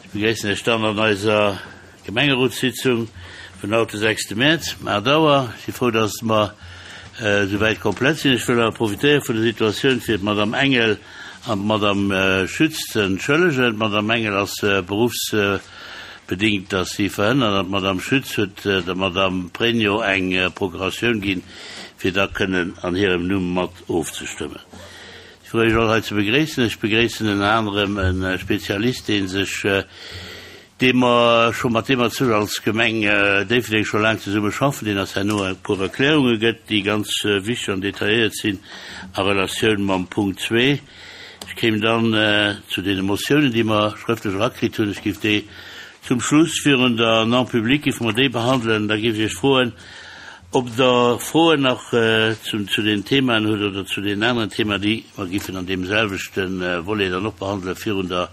Ech begréissen Iech dann an eiser Gemengerotssitzung vun haut, de sechste Mäerz, um 8 Auer. Ech si frou, dass mer esouwäit komplett sinn. Ech wëll awer profitéiere vun der Situatioun, fir d'Madame Engel an d'Madame Schütz ze entschëllegen. D'Madame Engel ass beruffsbedéngt ass si verhënnert an d'Madame Schütz huet der Madame Pregno eng Procuratioun ginn, fir da kënnen an hirem Numm mat ofzestëmmen. Ech frou Iech all hei ze begréissen. Ech begréissen ënner anerem e Spezialist, dee sech, dee mer scho, mat deem mer zu als Gemeng Déifferdeng scho laang zesumme schaffen, deen eis herno e puer Erklärunge gëtt, déi ganz wichteg an detailléiert sinn a Relatioun mam Punkt zwee. Ech kéim dann zu deene Motiounen, déi mer schrëftlech erakritt hunn. Ech géif déi zum Schluss virun der Non-publique géife mer déi behandelen. Da géif ech Iech froen, Ob Der Froen nach zu den Themaen hutt oder zu deenen aneren Themaen, déi mer giffen an deem selwechte Volet dann och behandelen, virun der,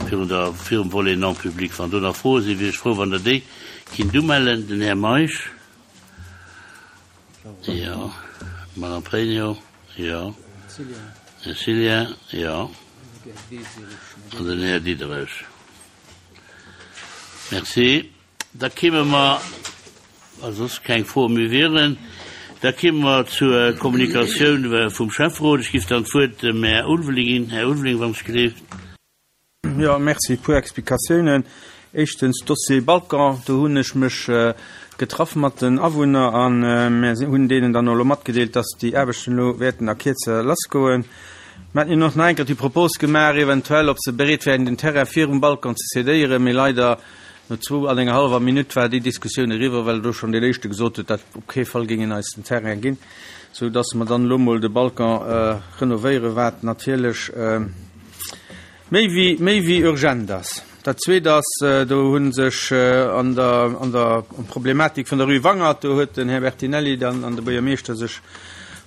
virun der, virum Volet non public. Wann do nach Froe sinn, wier ech frou, wann Der déi kinnt umellen. Den Här Meisch. Jo. D'Madame Pregno. Jo. Här Cillien. Jo. An den Här Diderich. Merci. Da kéime mer, wa soss keng Froe méi wieren, da kéime mer zur Kommunikatioun vum Schäfferot. Ech géif dann d'Wuert dem Här Ulveling ginn. Här Ulveling, wann ech gleeft. Jo, merci. E puer Explikatiounen. Éischtens, Dossier Balkan, do hunn ech mech getraff mat den Awunner a mir hunn deenen dann elo matgedeelt, dass déi Aarbechten elo wäerten a Kierze lassgoen. Mir haten hinnen och nach eng Kéier déi Propos gemaach, eventuell, ob se bereet wären, den Terrain virum Balkan ze cédéieren, mee leider No zwou an enger hallwer Minutt war déi Diskussioun eriwwer, well do schonn deen éischte gesot huet, dat op kee Fall géing en eis den Terrain ginn, sou dass mer dann elo mol de Balcon renovéieren, wat natierlech méi wéi, méi wéi urgent ass. Dat Zweet ass, do hu sech an der, an der Problematik vun der Rue Wangert, do huet den Här Bertinelli dann an de Buergermeeschter sech,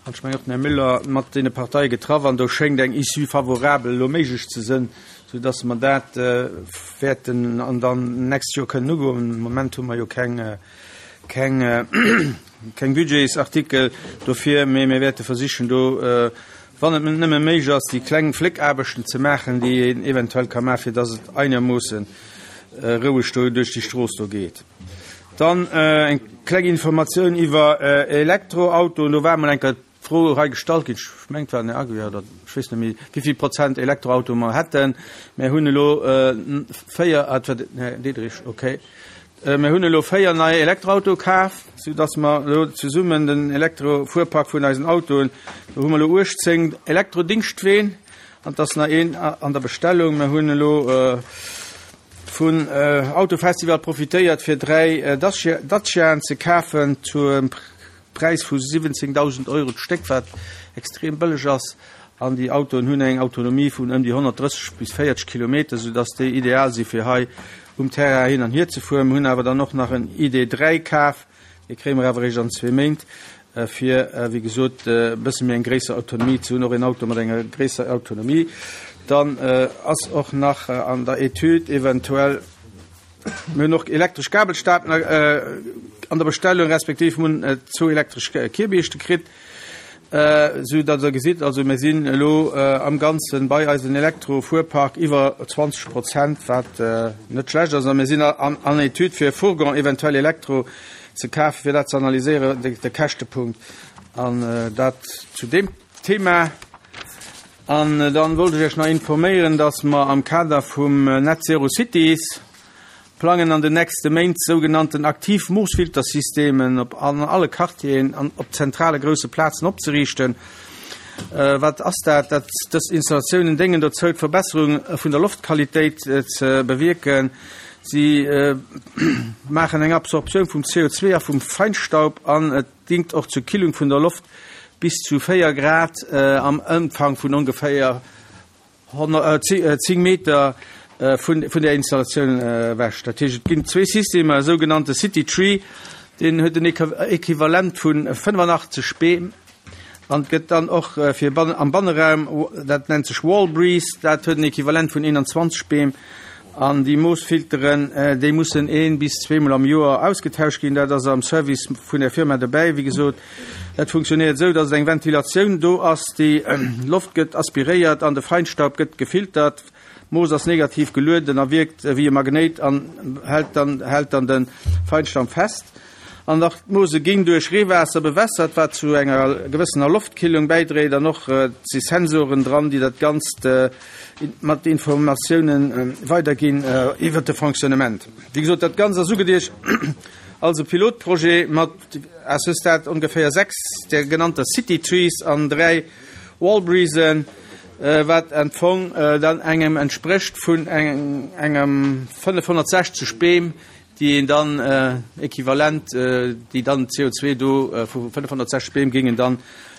an ech mengen och den Här Müller, mat deene Parteie getraff an do schéngt eng Issue favorable elo méiglech ze sënn, sou dass mer dat wäerten an dann nächst Joer kënnen ugoen. Am Moment hu mer jo keng, keng, keng Budgetsartikel dofir, mee mir wäerte versichen do, wann et nëmme méiglech ass, déi kleng Fléckaarbechten ze maachen, déi een eventuell ka maachen, fir dass et einermoosse roueg do duerch déi Strooss do geet. Dann eng kleng Informatioun iwwer Elektroautoen. Do war emol eng Kéier d'Fro hei gestallt ginn, ech mengen et war den Här Aguiar oder ech weess net méi, wéi vill Prozent Elektroautoe mer hätten. Mir hunn elo véier, ah, et war den Här Diderich, okay. Mir hunn elo véier nei Elektroautoe kaf, soudass mer elo zesummen den Elektrofuerpark vun eisen Autoen, do hu mer elo 18 Elektrodingstween an et ass nach een an der Bestellung. Mir hunn elo vun Autofestival profitéiert, fir dräi Daciaen ze kafen zum Präis vu 17.000 Euro d'Stéck, wat extrem bëlleg ass. An déi Autoen hunn eng Autonomie vun ëm déi 130 bis 40 Kilometer, soudass déi ideal si fir hei um Terrain hin an hier ze fueren. Mir hunn awer dann och nach en ID. 3 kaf, dee kréie mer awer eréischt an zwee Méint, fir wéi gesot e bësse méi eng gréisser Autonomie ze hunn, och en Auto mat enger gréisser Autonomie. Dann ass och nach an der Etüd eventuell, Mir hunn och elektresch Gabelstapler an der Bestellung, respektiv mir hunn zwou elektresch Kierbiischte kritt, esou datt Der gesitt, also mir sinn elo am Ganze bei eisem Elektrofuerpark iwwer 20 Prozent, wat net schlecht ass. A mir sinn an Etüd fir e Fourgon eventuell Elektro ze kafen, fir dat ze analyséieren, de Käschtepunkt. An dat zu deem Thema. An dann wollt ech Iech nach informéieren, dass mer am Kader vum Net Zero Cities plangen an den nächste Méint sougenannten aktiv Moossfiltersystemen op an alle Quartieren an op zentrale grousse Plazen opzeriichten. Wat ass dat? Dat dës Installatiounen déngen dozou d'Verbesserung vun der Loftqualitéit ze bewierken. Si maachen eng Absorptioun vum CO2 a vum Feinstaub an et Dingt och zur Killung vun der Loft bis zu 4 Grad am Ëmfang vun ongeféier 10 Meter vun der Installatioun ewech. Dat heescht, et ginn zwee Systemer, e sougenannte City Tree, deen huet en Equivalent vu 85 Beem an et gëtt dann och fir am Banneraum, dat nennt sech Wall Breeze, dat huet en Equivalent vun 21 Beem. An déi Moossfilteren, déi mussen een bis zweemol am Joer ausgetauscht ginn. Dat ass am Service vun der Firma dobäi. Wéi gesot, dat funktionéiert esou, datt et eng Ventilatioun do ass, déi Loft gëtt aspiréiert an de Feinstaub gëtt gefiltert. Moos ass negativ gelueden a wierkt wéi e Magnéit an hält dann hält dann de Feinstaub fest. An nach d'Moose ginn duerch Reewaasser bewässert, wat zu enger gewëssener Loftkillung bäidréit. An och et si Sensoren dran, déi dat Ganzt mat Informatiounen weiderginn iwwert de Fonctionnement. Wéi gesot, dat Ganzt ass ugeduecht als e Pilotprojet mat à ce stade ongeféier 6 där genannter City Trees an 3 Wallbreezen, wat am Fong dann engem entsprécht vun engem 560 Beem, déi een dann equivalent, déi dann CO2 do vu 560 Beem géingen dann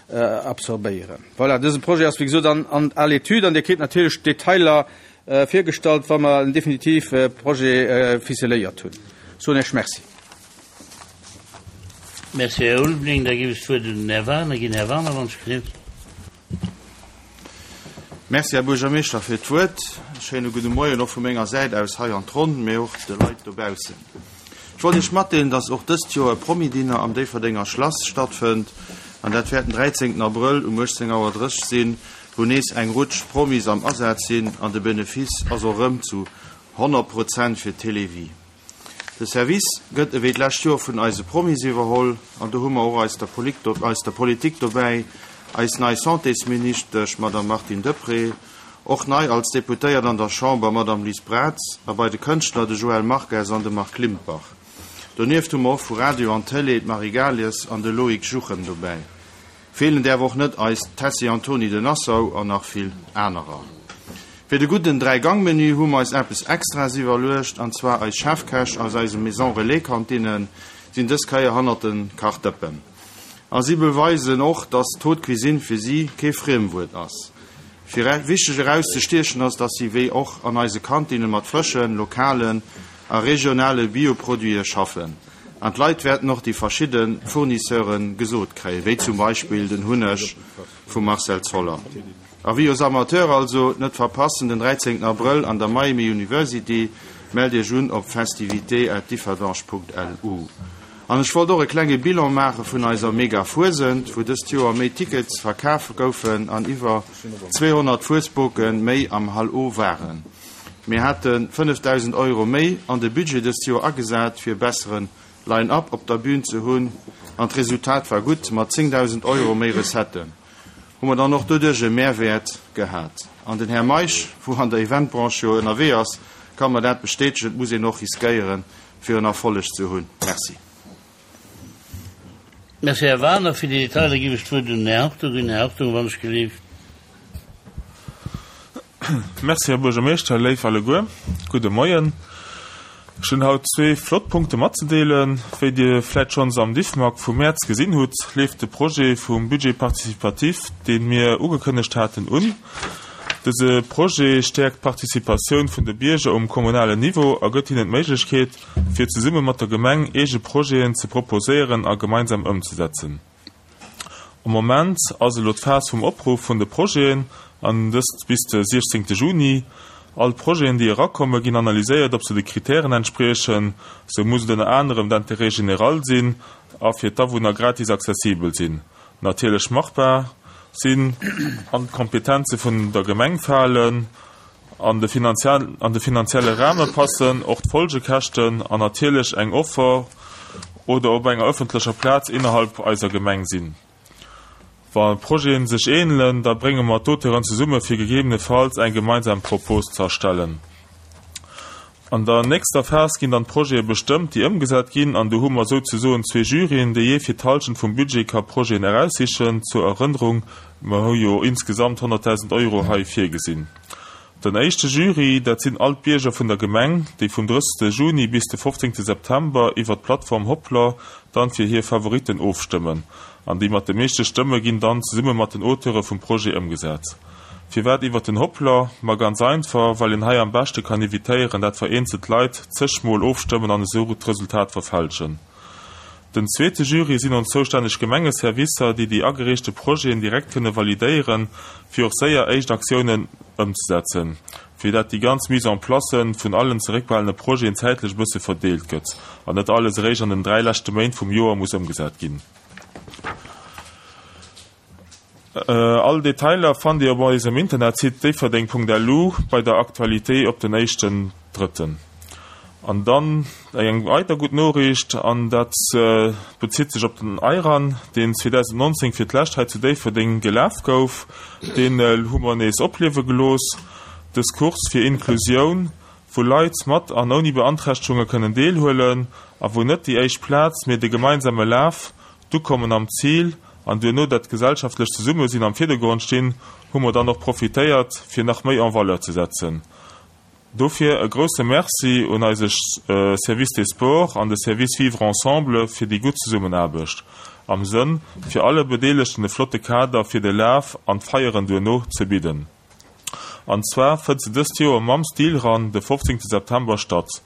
absorbéieren. Voilà, dëse Projet ass wéi gesot an à l'étude an Dir kritt natierlech d'Detailer virgestallt, wa mer en definitive Projet ficeléiert hunn. Soen Iech Merci. Merci, Här Ulveling. Da géif ech d'Wuert un den Här Wagener ginn. Här Wagener, wann ech gelift. Merci, Här Buergermeeschter, fir d'Wuert. E schéine gudde Moien och vu menger Säit aus hei an d'Ronn, mee och de Leit dobaussen. Ech wollt Iech matdeelen, dass och dëst Joer e Promi-Dinner am Déifferdenger Schlass stattfënnt, an dat wäert den 13 Abrëll um 18 Auer 30 sinn, wou nees eng Rutsch Promis am Asaz sinn, an de Benefice ass och erëm zu 100 Prozent fir d'Télévie. De Service gëtt ewéi d'lescht Joer vun eise Promis iwwerholl an do hu mer och eis der eis der Politik dobäi, eis nei Santésministesch Madame Martine Deprez, och nei als Deputéiert an der Chamber Madame Liz Braz a bei de Kënschtler de Joël Marques an de Marc Limpach. Donieft hu mer och vu Radio an Télé d'Marie Gales an de Loïc Juchem dobäi. Feelen däerf och net eis Tessy Antony de Nassau an nach vill anerer. Fir de gudden Dräi-Gang-Menü hu mer eis eppes Extraes iwwerluecht, an zwar eis Chefkäch aus eise Maison Relais Kantinen sinn dës Kéier hannert den Kachdëppen. A si beweisen och, dass d'Haute Cuisine fir si kee Friemwuert ass. Fir wichteg erauszestiechen ass, dass si wéi och an eise Kantinen mat frëschen, lokalen a regionale Bioproduite schaffen. An d'Leit wäerten och déi verschidde Fournisseure gesot kréien, wéi zum Beispill den Hunneg vum Marcel Zoller. Avis aux amateurs also, net verpassen, den 13 Abrëll an der Miami University. Mellt Iech un op festivités@differdange.lu. An ech wollt och e klenge Bilan maache vun eiser Mega Fuesent, wou dëst Joer méi Tickets verkaf goufen an iwwer 200 Fuesboke méi am Hall O waren. Mir hate 5.000 Euro méi an de Budget dëst Joer agesat, fir e bessere Line-up op der Bühn ze hunn, an d'Resultat war gutt, mat 10.000 Euro méi Recetten hu mer dann och doduerch e Mehrwäert gehat. An den Här Meisch, wou an der Eventbranche jo ënnerwee ass, ka mer dat bestätegen, et muss een och riskéieren, fir en Erfolleg ze hunn. Merci. Merci, Här Wagener. Fir déi Detailer géif ech d'Wuert un den Här Hartung ginn. Här Hartung, wann ech gelift. Merci, Här Buergermeeschter. Léif alleguer, gudde Moien. Ech hunn haut zwee flott Punkte matzedeelen. Wéi Dir vläit schonns am Diffmag vum Mäerz gesinn hutt, leeft de Projet vum Budget participatif, dee mir ugekënnegt haten, un. Dëse Projet stäerkt d'Participatioun vun de Bierger um kommunalen Niveau a gëtt hinnen d'Méiglechkeet, fir zesumme mat der Gemeng eege Projeten ze proposéieren a gemeinsam ëmzesetzen. Am Moment ass elo d'Phas vum Opruff vun de Projeten, an dëst bis de 16 Juni. All d'Projeten, déi erakommen, ginn analyséiert, ob se de Kritären entspriechen. Sou muss et ënner anerem d'Intérêt général sinn a fir d'Awunner gratis accessibel sinn, natierlech machbar sinn, an d'Kompetenze vun der Gemeng falen, an de finanzielle Rahme passen, och d'Folgekäschten an natierlech eng Offer oder op enger ëffentlecher Plaz innerhalb eiser Gemeng sinn. Wa Projeten sech ähnelen, da brénge mer d'Auteuren zesumme fir gegebenefalls eng gemeinsam Propos ze erstellen. An der nächster Phas ginn dann d'Projete bestëmmt, déi ëmgesat ginn, an do hu mer souzesoen zwee Juryen, déi jee fir d'Halschent vum Budget ka Projeten eraussichen. Zur Erënnerung, mer hu jo insgesamt 100.000 Euro hei virgesinn. Den éischte Jury, dat sinn all d'Bierger vun der Gemeng, déi vum 30. Juni bis de 15. September iwwer d'Plattform Hoplr dann fir hir Favoritten ofstëmmen. An déi mat de meeschte Stëmme ginn dann zesumme mat den Auteure vum Projet ëmgesat. Firwat iwwer den Hoplr? Ma ganz einfach, well een hei am beschte kann evitéieren, dat vereenzelt Leit zeg mol ofstëmmen an esou d'Resultat verfälschen. Den zweete Jury sinn ons zoustänneg Gemengeservicer, déi déi agereechte Projeten direkt kënne validéieren, fir och séier éischt Aktiounen ëmzesetzen, fir dat déi ganz Mise en place vun allen zeréckbehalene Projeten zäitlech e bësse verdeelt gëtt an net alles eréischt an den 3 leschte Méint vum Joer muss ëmgesat ginn. All Detailer fannt Dir op eisem Internetsite déifferdeng.lu bei der Actualité op den éischten Drëtten. An dann eng weider gutt Noriicht, an dat bezitt sech op den iRun, deen 2019 fir d'lescht hei zu Déifferdeng gelaf gouf. Deen hu mer nees opliewe gelooss. Dës Course fir Inklusioun, wou Leit mat an ouni Beanträchtegunge kënnen deelhuelen a wou net déi éischt Plaz, mee de gemeinsame Laf, d'Ukommen am Zil an duerno dat gesellschaftlecht Zesummesinn am Virdergrond stinn, hu mer dann och profitéiert, fir nach méi en valeur ze setzen. Dofir e grousse Merci un eise Service des Sports an de Service Vivre Ensemble fir déi gutt Zesummenaarbecht, am Sënn fir alle Bedeelegten e flotte Kader fir de Laf an d'Feieren duerno ze bidden. An zwar fënnt se dëst Joer mam Stilrun de 15 September statt.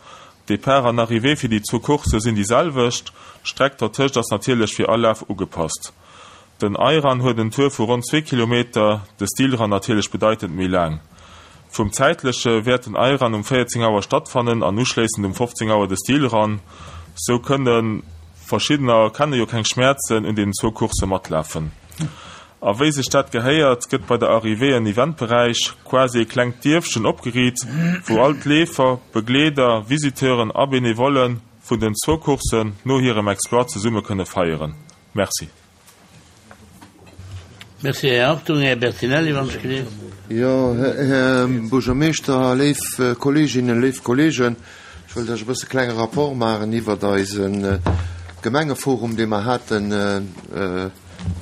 Depart an Arrivée fir déi zwou Coursse sinn déi selwecht, d'Streck dertëscht ass natierlech fir all Laf ugepasst. Den iRun huet en Tour vu ronn zwee Kilometer, de Stilrun natierlech bedeitend méi laang. Vum Zäitleche wäert den iRun um 14 Auer stattfannen an uschléissend um 15 Auer de Stilrun. Sou kënne verschiddener, kenne jo keng Schmäerzen, un deenen zwou Coursse matlafen. A wéi sech dat gehéiert, gëtt bei der Arrivée en Eventberäich, quasi e klengt Dierfchen, opgeriit, wou all d'Leefer, Begleeder, Visiteuren a Benevollen vun den zwou Courssen no hirem Exploit zesumme kënne feieren. Merci. Merci, Här Hartung. Här Bertinelli, wann ech geleeft. Jo, Här Buergermeeschter, léif Kolleeginnen, léif Kolleegen, ech wëllt Iech e bësse klenge Rapport maachen iwwert eise Gemengeforum, dee mer haten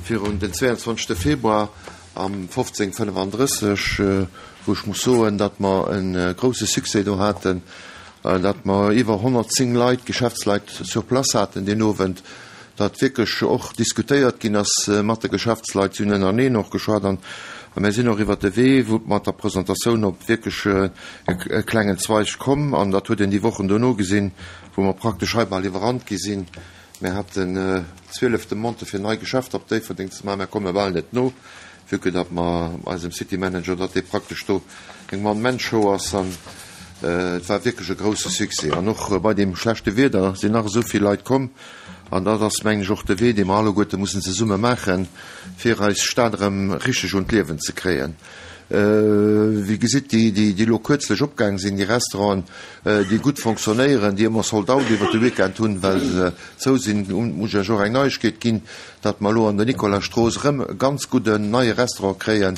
virun den 22. Februar am 1535, wou ech muss soen, datt mer e grouse Succès do haten, datt mer iwwer 110 Leit, Geschäftsleit sur place haten deen Owend, datt wierklech och diskutéiert ginn ass mat de Geschäftsleit. Si hunn ënnereneen och geschwat an mir sinn och iwwert de Wee wou mat der Presentatioun op wierklech e klengen Zweig komm an dat huet een déi Wochen dono gesinn, wou mer praktesch hei bal iwwerrannt gi sinn. Mir haten 12 Demandë fir nei Geschäfter op Déifferdeng ze maachen. Mir komme bal net no, vue que datt mer eisem City Manager, datt dee praktesch do eng One-Man-Show ass. An et war wierklech e grousse Succès. An och bei deem schlechte Wieder sinn nach esou vill Leit komm. An dat ass, mengen ech, och de Wee, dee mer alleguerte mussen zesumme maachen, fir eis Stad erëm richteg un d'Liewen ze kréien. Wéi gesitt, déi, déi elo kuerzlech opgaang sinn, déi Restauranten, déi gutt fonctionnéieren, déi ëmmer Sold out iwwert de Weekend hunn, well se zou sinn, muss ech Iech och eng Neiegkeet ginn, datt mer elo an der Nicolasstrooss erëm e ganz gudden neie Restaurant kréien.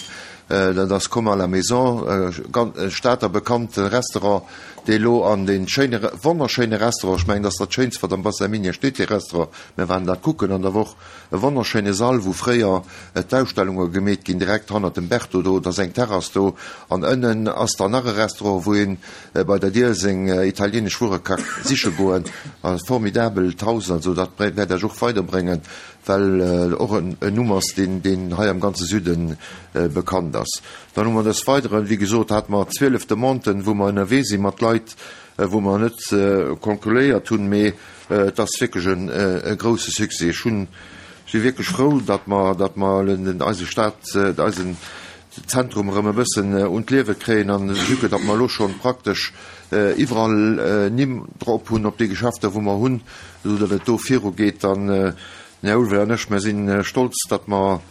Dat ass Comme à la maison, e Stater bekannte Restaurant, dee elo an dee schéine, wonnerschéine Restaurant, ech mengen, dat ass dat Schéinst, wat am Bassin minier steet, dee Restaurant, mir waren dat kucken an der Woch, E wonnerschéine Sall, wou fréier d'Ausstellunge gemeet ginn, direkt hannert dem Berto do. Et ass eng Terrass do an ënnen ass dann nach e Restaurant, wou een bei der Dier seng italienesch Wuere ka siche goen. E formidabelt Haus, also dat wäert Iech och weiderbréngen, well och en Numm ass, deen deen hei am ganze Süde bekannt ass. Dann hu mer des Weideren, wéi gesot, hate mer 12 Demanden, wou mer ënnerwee si mat Leit, wou mer net konkuléiert hunn, mee Et ass wierklech e grousse Succès. Ech hunn, si wierklech frou, datt mer, datt mer eise Stad, eisen Zentrum erëm e bëssen un d'Liewe kréien an vue que datt mer elo schonn praktesch iwwerall Nimm drop hunn op déi Geschäfter wou mer hunn, esou datt et do virugeet. An den Här Ulveling an ech, mer si stolz, datt mer,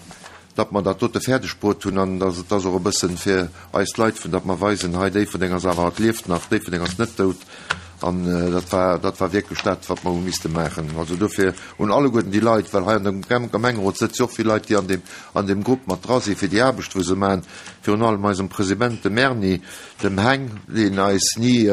datt mer dat dote fäerdeg bruet hunn an datt et ass och e bëssen fir eis Leit, vun datt mer weisen, hei Déifferdeng ass awer, et lieft nach, Déifferdeng ass net dout an dat war, dat war wierklech dat, wat mer hu misste maachen. Also dofir un alleguerten déi Leit, well hei an dem Gemengerot sëtze jo och vill Leit, déi an deem, an deem Grupp mat dra sinn, fir déi Aarbecht wou se maachen, virun allem eisem President, dem Erny, dem Heng, deen eis ni,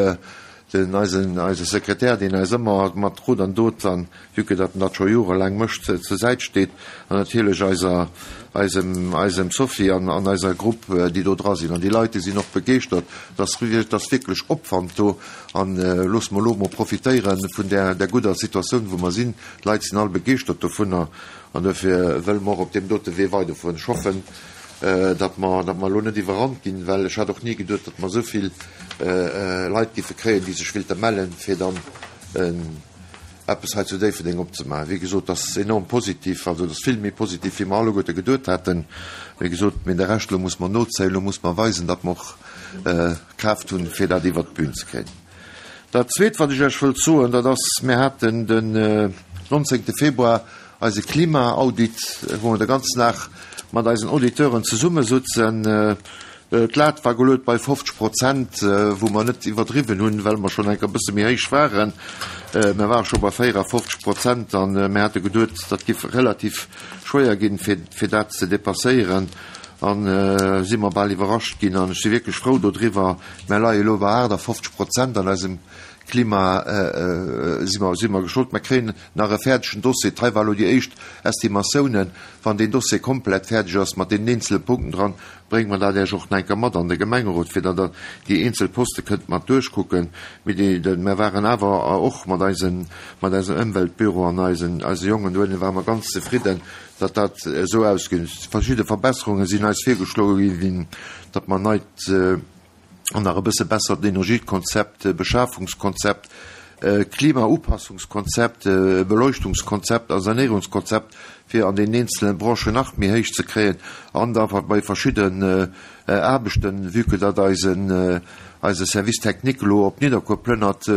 den eisen, eise Sekretär, deen eis ëmmer mat Rot an Dot an vue que datt en dat scho jorelaang mécht, zur Säit steet, an natierlech eiser, eisem, eisem Sophie an, an eiser Grupp, déi do dra sinn. An déi Leit, déi sinn och begeeschtert, et ass, et ass wierklech Opwand do. An loosse mer elo emol profitéiere vun där, där gudder Situatioun, wou mer sinn. D'Leit sinn all begeeschtert dovunner an dofir wëlle mer och op deem dote Wee weiderfueren. Ech hoffen, datt mer, datt mer elo net iwwerrannt ginn, well ech hat och ni geduet, datt mer esou vill Leit géife kréien, déi sech willte mellen, fir dann eppes hei zu Déifferdeng opzemaachen. Wéi gesot, dat ass enorm positiv, also dat ass vill méi positiv, wéi mer alleguerte geduet haten. Wéi gesot, mee de Rescht, elo muss mer nozéien, elo muss mer weisen, datt mer och Kraaft hunn, fir dat iwwert d'Bün ze kréien. Dat Zweet, wat ech Iech wëllt soen, dat ass, mir haten den 19. Februar eise Klimaaudit, wou mer de ganzen Dag. mat eisen Auditeuren zesummesutzen. D'Lat war geluet bei 50 Prozent, wou mer net iwwerdriwwen hunn, well mer schonn eng Kéier e bësse méi héich waren. Mer ware scho bei 54 Prozent an mir hate geduet, dat giff relativ schwéier ginn, fir dat ze dépasséieren. An si mer bal iwwerrascht ginn an ech si wierklech frou dodriwwer. Mer leie elo bei 58 Prozent an eisem Klima si mer, si mer geschloen. Mer kréien nach e fäerdegen Dossier. Hei war elo déi éischt Estimatiounen. Wann deen Dossier komplett fäerdeg ass mat deenen eenzele Punkten dran, brénge mer dat Iech och nach eng Kéier mat an de Gemengerot, fir datt Der déi eenzel Poste kënnt mat duerchkucken. Mee déi, de, mer waren awer och mat eisen, mat eisem Ëmweltbüro an eisen, eise Jongen dohinne ware mer ganz zefridden, datt dat esou ausginn. Verschidde Verbesserunge sinn eis virgeschloe ginn, datt mer neit, an nach e bësse bessert Energiekonzept, Beschafungskonzept, Klimaupassungskonzept, Beleuchtungskonzept a Sanéierungskonzept fir an deenen eenzele Branchen nach méi héich ze kréien an da bei verschidden Aarbechten, vue que datt eisen eise Service technique elo op Nidderkuer plënnert,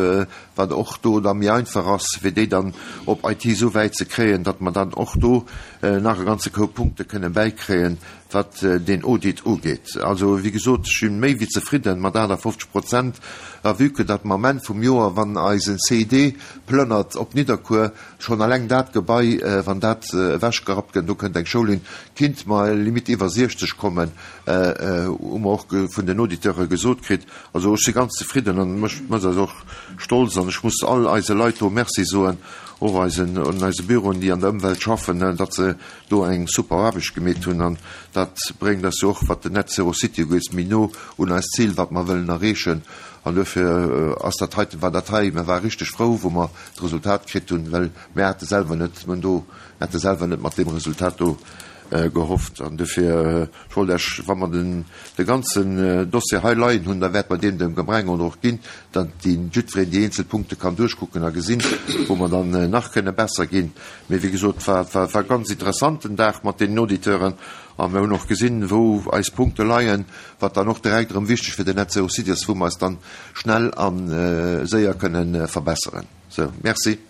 wat och do da méi einfach ass, fir déi dann op IT esou wäit ze kréien, datt mer dann och do nach e ganze Koup Punkte kënnen bäikréien, Wat deen Audit ugeet, also wéi gesot, ech si méi wéi zefridden mat 58 Prozent, a vue que datt mer am Enn vum Joer, wann eisen CID plënnert op Nidderkuer, schonn eleng dat Gebai, wann dat ewechgerappt gëtt, do kënnt eng Schoul hin, kinnt mer limite iwwer 60 kommen, hu mer och vun den Auditeure gesot kritt. Also ech si ganz zefridden an mech mécht dat och stolz an ech muss all eise Leit do Merci soen, och eisen, eise Büroen, déi an der Ëmwelt schaffen, datt se do eng super Aarbecht gemeet hunn an dat bréngt eis jo och, wat den Net Zero City ugeet, méi no un eist Zil, wat mer wëllen erreechen. An duerfir ass dat heiten, war dat hei, mer ware richteg frou, wou mer d'Resultat kritt hunn, well mir hate selwer net, mir hunn do, mir hate selwer net mat deem Resultat do gehofft. An duerfir, ech wollt Iech, wa mer den, de ganzen Dossier hei leien hunn, da wäerte mer deen dem Gemengerot och ginn, datt dee jiddwereen déi eenzel Punkte kann duerchkucken a gesinn, wou mer dann nach kënne besser ginn. Mee wéi gesot, war war ganz interessant den Dag mat deenen Auditeuren a mir hunn och gesinn, wou eis Punkte leien, wat dann och direkt erëm wichteg fir den Net Zero City ass, wou mer eis dann schnell a séier kënnen verbesseren. Sou, merci.